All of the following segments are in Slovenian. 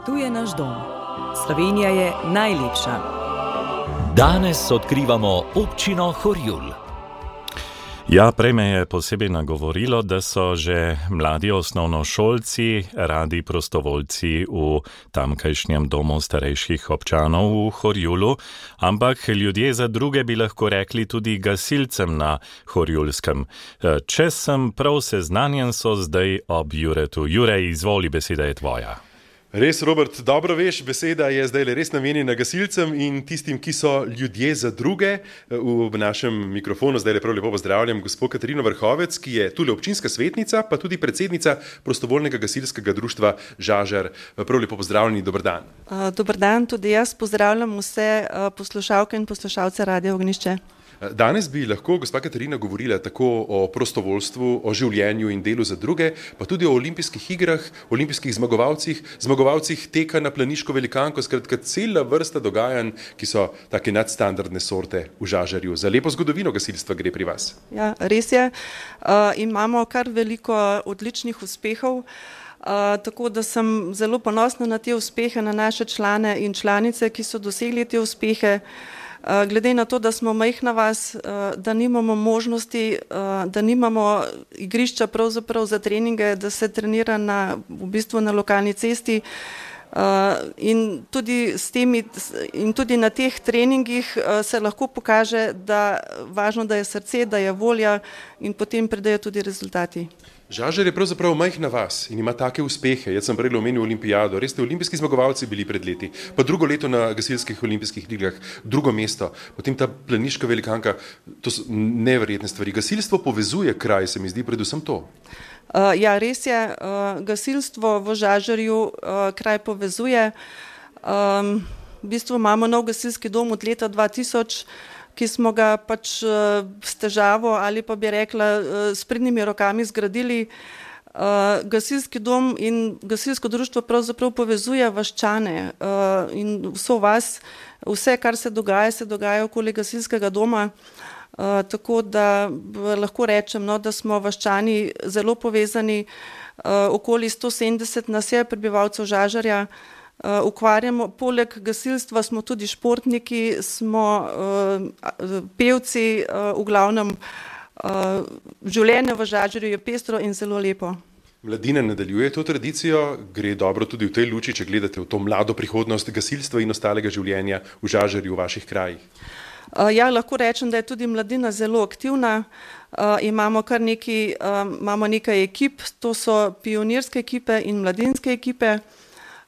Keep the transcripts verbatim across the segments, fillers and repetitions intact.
Tu je naš dom. Slovenija je najlepša. Danes odkrivamo občino Horjul. Ja, prej me je posebej nagovorilo, da so že mladi osnovnošolci radi prostovoljci v tamkajšnjem domu starejših občanov v Horjulu, ampak ljudje za druge bi lahko rekli tudi gasilcem na Horjulskem. Če sem prav seznanjen, so zdaj ob Juretu. Jurej, izvoli, beseda je tvoja. Res, Robert, dobro veš, beseda je zdaj res namenjena gasilcem in tistim, ki so ljudje za druge. V našem mikrofonu zdaj prav lepo pozdravljam gospod Katarino Vrhovec, ki je tule občinska svetnica, pa tudi predsednica prostovoljnega gasilskega društva Žažar. Prav lepo pozdravljeni, dober dan. Dober dan, tudi jaz pozdravljam vse poslušalke in poslušalce Radia Ognjišče. Danes bi lahko gospa Katarina govorila tako o prostovoljstvu, o življenju in delu za druge, pa tudi o olimpijskih igrah, olimpijskih zmagovalcih, zmagovalcih teka na planiško velikanko, skratka cela vrsta dogajanj, ki so take nadstandardne sorte v Žažarju. Za lepo zgodovino gasilstva gre pri vas. Ja, res je. Uh, imamo kar veliko odličnih uspehov, uh, tako da sem zelo ponosna na te uspehe, na naše člane in članice, ki so dosegli te uspehe. Glede na to, da smo majhna vas, da nimamo možnosti, da nimamo igrišča pravzaprav za treninge, da se trenira na, v bistvu na lokalni cesti in tudi, s temi, in tudi na teh treningih se lahko pokaže, da važno, da je srce, da je volja in potem pridejo tudi rezultati. Žažar je pravzaprav majhna vas in ima take uspehe. Jaz sem prej omenil olimpijado. Res ste olimpijski zmagovalci bili pred leti. Pa drugo leto na gasilskih olimpijskih igrah, drugo mesto. Potem ta planiška velikanka. To so neverjetne stvari. Gasilstvo povezuje kraj, se mi zdi predvsem to. Uh, ja, res je. Uh, gasilstvo v Žažarju uh, kraj povezuje. Um, v bistvu imamo nov gasilski dom od leta dva tisoč, ki smo ga pač uh, s težavo ali pa bi rekla uh, s pridnimi rokami zgradili. Uh, gasilski dom in gasilsko društvo pravzaprav povezuje vaščane uh, in vso vas, vse, kar se dogaja, se dogaja okoli gasilskega doma. Uh, tako da lahko rečem, no, da smo vaščani zelo povezani, uh, okoli sto sedemdeset nas je prebivalcev Žažarja. Uh, ukvarjamo, poleg gasilstva smo tudi športniki, smo uh, pevci, uh, v glavnem uh, življenje v Žažarju je pestro in zelo lepo. Mladina nadaljuje to tradicijo, gre dobro tudi v tej luči, če gledate v to mlado prihodnost gasilstva in ostalega življenja v Žažarju, v vaših krajih. Uh, ja, lahko rečem, da je tudi mladina zelo aktivna. Uh, imamo kar nekaj, uh, imamo nekaj ekip, to so pionirske ekipe in mladinske ekipe.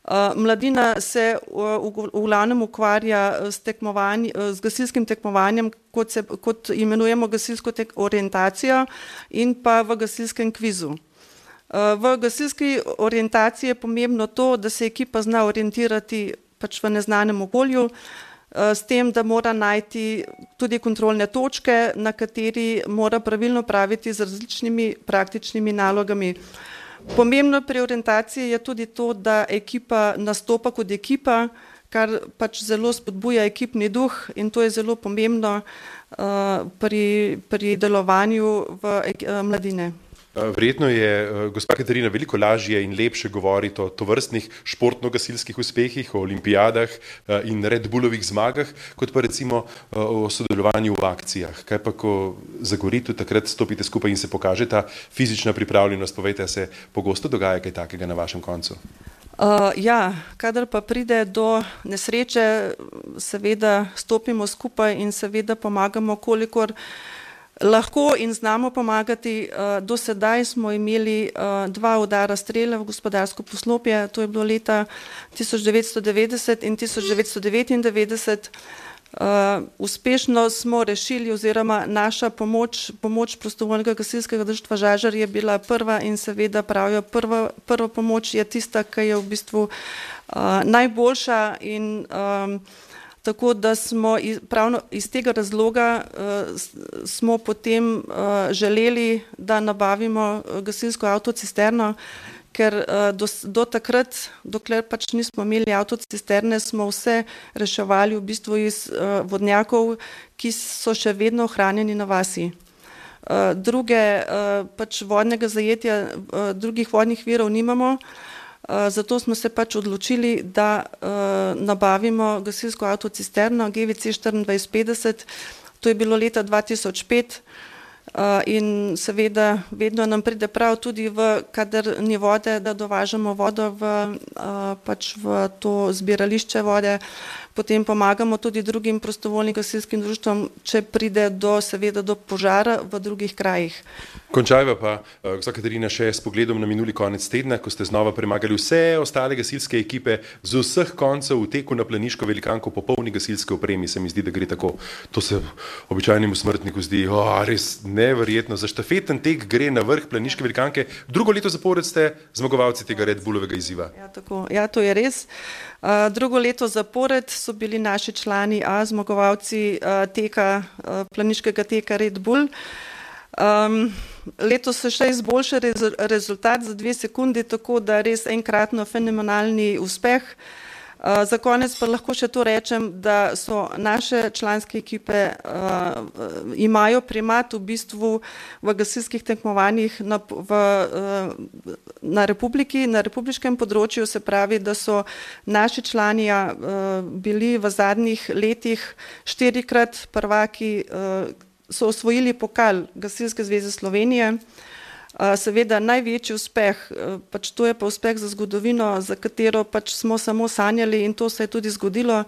Uh, mladina se uh, v, v glavnem ukvarja s, s gasilskim tekmovanjem, kot, se, kot imenujemo gasilsko tek orientacijo in pa v gasilskem kvizu. Uh, v gasilski orientaciji je pomembno to, da se ekipa zna orientirati pač v neznanem okolju, uh, s tem, da mora najti tudi kontrolne točke, na kateri mora pravilno praviti z različnimi praktičnimi nalogami. Pomembno pri orientaciji je tudi to, da ekipa nastopa kot ekipa, kar pač zelo spodbuja ekipni duh in to je zelo pomembno uh, pri, pri delovanju v uh, mladine. Verjetno je gospa Katarina veliko lažje in lepše govoriti o tovrstnih športno-gasilskih uspehih, o olimpijadah in Red Bullovih zmagah, kot pa recimo o sodelovanju v akcijah. Kaj pa, ko zagorite, takrat stopite skupaj in se pokaže ta fizična pripravljenost, povejte, se pogosto dogaja kaj takega na vašem koncu? Uh, ja, kadar pa pride do nesreče, seveda stopimo skupaj in seveda pomagamo, kolikor lahko in znamo pomagati. Do sedaj smo imeli dva udara strele v gospodarsko poslopje, to je bilo leta tisoč devetsto devetdeset in tisoč devetsto devetindevetdeset. Uspešno smo rešili oziroma naša pomoč, pomoč prostovoljnega gasilskega društva Žažar je bila prva in seveda pravijo, prva, prva pomoč je tista, ki je v bistvu najboljša in um, tako da smo iz, pravno iz tega razloga uh, smo potem uh, želeli, da nabavimo gasilsko avtocisterno, ker uh, do, do takrat, dokler pač nismo imeli avtocisterne, smo vse reševali v bistvu iz uh, vodnjakov, ki so še vedno ohranjeni na vasi. Uh, druge, uh, pač vodnega zajetja, uh, drugih vodnih virov nimamo. Zato smo se pač odločili, da nabavimo gasilsko avtocisterno G V C štiriindvajset petdeset. To je bilo leta dva tisoč pet. In seveda vedno nam pride prav tudi, v, kadar ni vode, da dovažamo vodo v, pač v to zbirališče vode. Potem pomagamo tudi drugim prostovoljnim gasilskim društvom, če pride do, seveda, do požara v drugih krajih. Končajva pa, gospa Katarina, še s pogledom na minuli konec tedna, ko ste znova premagali vse ostale gasilske ekipe z vseh koncev v teku na Planiško velikanko po polni gasilske opremi. Se mi zdi, da gre tako. To se običajnemu smrtniku zdi, o, res neverjetno. Za štafeten tek gre na vrh Planiške velikanke. Drugo leto zapored ste zmagovalci tega Red Bullovega izziva. Ja, tako. Ja, to je res. Uh, drugo leto zapored so bili naši člani A zmagovalci uh, teka, uh, planiškega teka Red Bull. Um, letos se še izboljša rez rezultat za dve sekundi, tako da res enkratno fenomenalni uspeh. Uh, za konec pa lahko še to rečem, da so naše članske ekipe uh, imajo primat v bistvu v gasilskih tekmovanjih na, v, uh, na republiki, na republiškem področju, se pravi, da so naši člani uh, bili v zadnjih letih štirikrat prvaki, uh, so osvojili pokal Gasilske zveze Slovenije. Seveda največji uspeh, pač to je pa uspeh za zgodovino, za katero pač smo samo sanjali, in to se je tudi zgodilo.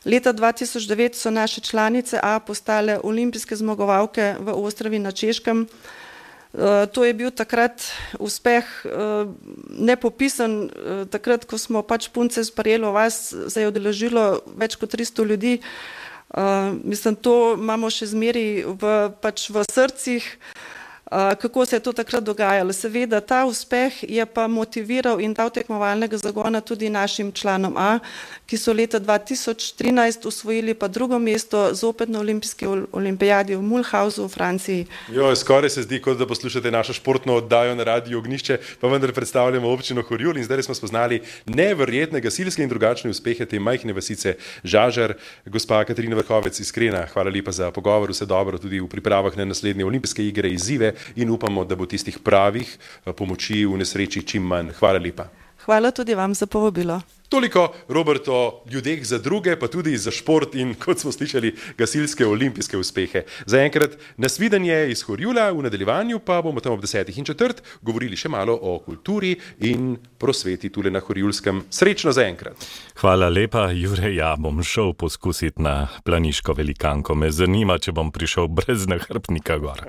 Leta dva tisoč devet so naše članice A postale olimpijske zmagovalke v Ostravi na Češkem. To je bil takrat uspeh nepopisan. Takrat, ko smo pač punce sprejeli vas, se je udeležilo več kot tristo ljudi. Mislim, to imamo še zmeri v, pač v srcih. Kako se je to takrat dogajalo. Seveda ta uspeh je pa motiviral in dal tekmovalnega zagona tudi našim članom A, ki so leta dva tisoč trinajst osvojili pa drugo mesto zopet na olimpijski olimpijadi v Mulhausu v Franciji. Jo, skoraj se zdi, kot da poslušate našo športno oddajo na Radiu Ognjišče, pa vendar predstavljamo občino Horjul in zdaj smo spoznali neverjetne gasilske in drugačne uspehe te majhne vasice Žažar. Gospa Katarina Vrhovec, iskrena, hvala lepa za pogovor, vse dobro tudi v pripravah na naslednje olimpijske igre, izzive. In upamo, da bo tistih pravih pomoči v nesreči čim manj. Hvala lepa. Hvala tudi vam za povabilo. Toliko, Robert, o ljudeh za druge, pa tudi za šport in, kot smo slišali, gasilske olimpijske uspehe. Zaenkrat nasvidenje iz Horjula, v nadaljevanju pa bomo tam ob desetih in četrt govorili še malo o kulturi in prosveti tule na Horjulskem. Srečno zaenkrat. Hvala lepa, Jure, ja bom šel poskusiti na Planiško velikanko. Me zanima, če bom prišel brez nahrbtnika gor.